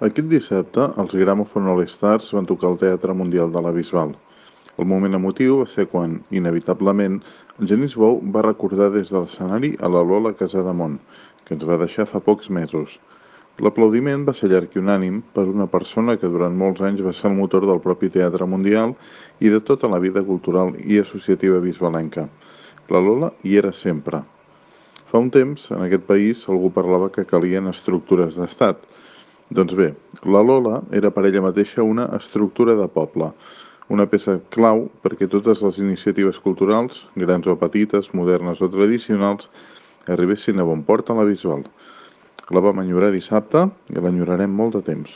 Aquest dissabte, els Gramophone All-Stars van tocar al Teatre Mundial de la Bisbal. El moment emotiu va ser quan, inevitablement, en Genís Bou va recordar des de l'escenari a la Lola Casademont, que ens va deixar fa pocs mesos. L'aplaudiment va ser llarg i unànim per una persona que durant molts anys va ser el motor del propi Teatre Mundial i de tota la vida cultural i associativa bisbalenca. La Lola hi era sempre. Fa un temps, en aquest país, algú parlava que calien estructures d'estat. Doncs bé, la Lola era per ella mateixa una estructura de poble, una peça clau perquè totes les iniciatives culturals, grans o petites, modernes o tradicionals, arribessin a bon port a la Bisbal. La vam enyorar dissabte i l'enyorarem molt de temps.